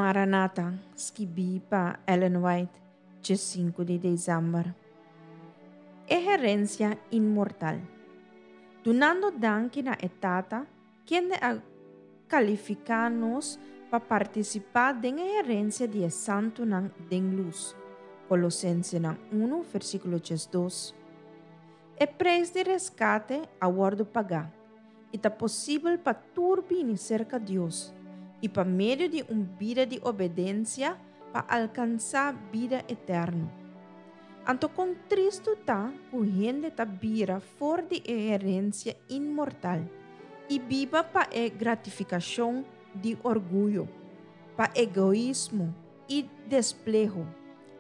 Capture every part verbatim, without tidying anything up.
Maranata, skibí pa Ellen White, sinku di desèmber. E herensia inmortal. Dunando danki na e Tata, kende a kalifiká nos pa partisipá den e herensia di e santunan den lus. Kolosensenan un, versíkulo dos. E preis di reskate a wòrdu pagá, i ta posibel pa tur bini serka Dios, i pa medio di un bida di obedensia pa alkansá bida eterno. Anto kon tristu ta ku hende ta bira for di e herensia inmortal i biba pa e gratifikashon di orguyo, pa egoismo i despleho,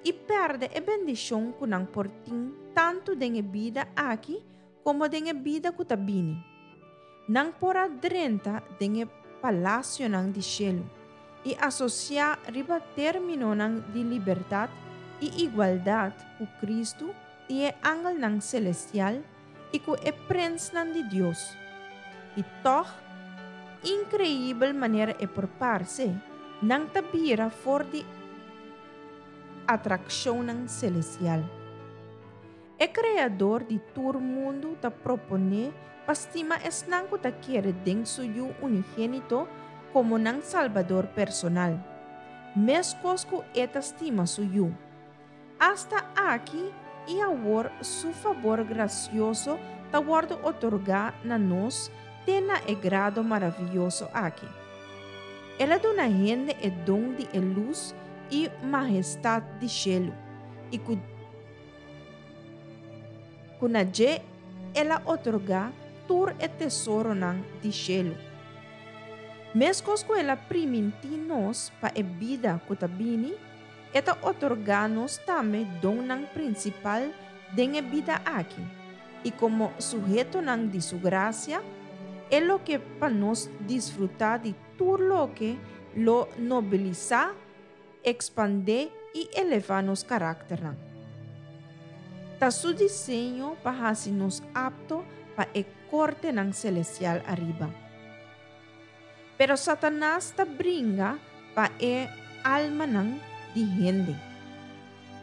i pèrdè e bendishon ku nan por tin tantu den e bida aki komo den e bida ku ta bini. Nan por a drenta den e palasionan di shelu i asosiá riba términonan di libertat i igualdat ku Kristu i e angelnan selestial i ku e prensnan di Dios. I tòg, inkreibel manera e por parse, nan ta bira for di atrakshonnan selestial. E Kreador di tur mundu ta proponé pa stima esnan ku ta kere den su Yu unigénito komo nan Salbador personal, meskos ku e ta stima su Yu. Asta aki i awor su fabor grasioso ta wòrdu otorgá na nos te na e grado maravioso aki. El a duna hende e don di e lus i mahestat di shelu, i ku ku na dje el a otorgá tur e tesoronan di shelu. Meskos ku el a primintí nos pa e bida ku ta bini, e ta otorgá nos tambe donnan prinsipal den e bida aki, i komo suhetonan di su grasia, e lo ke pa nos disfrutá di tur loke lo nobilisá, ekspandé i elevá nos karakternan. Ta su diseño pa hasi nos apto pa e kortenan selestial ariba. Pero Satanas ta bringa pa e almanan di hende.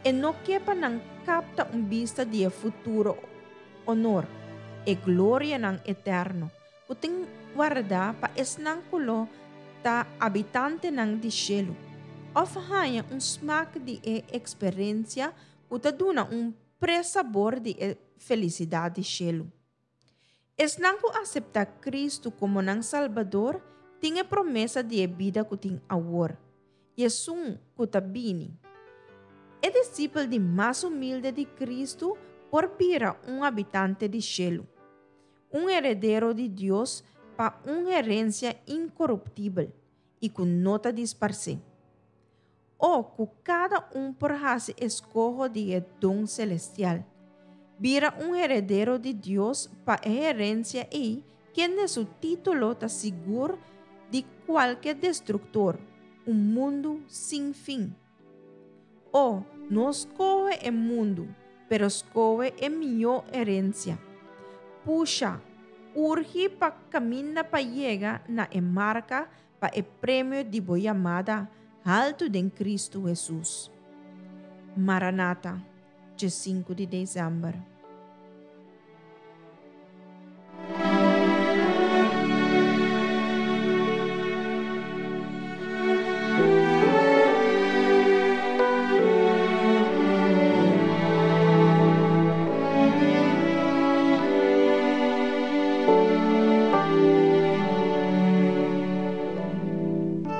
E no ke pa nan kapta un bista di e futuro honor, e glorianan eterno, ku tin wardá pa esnan ku lo ta habitantenan di shelu, òf haña un smak di e eksperensia ku ta duna un presabor di e felisidat di shelu. Esnan ku aseptá Kristu komo nan Salbador tin e promesa di e bida ku tin awor, i esun ku ta bini. E disipel di mas humilde di Kristu por bira un habitante di shelu, un heredero di Dios pa un herensia inkoruptibel i ku no ta disparsé. O ku kada un por hasi eskoho di e don selestial, bira un heredero di Dios pa e herensia ei kende su título ta sigur di kualke destruktor, un mundu sin fin. O no skohe e mundu, pero skohe e mihó herensia. Pusha, urgi pa kaminda pa yega na e marka pa e premio di bo yamada haltu den Kristu Hesus. Maranata, sinku di desèmber.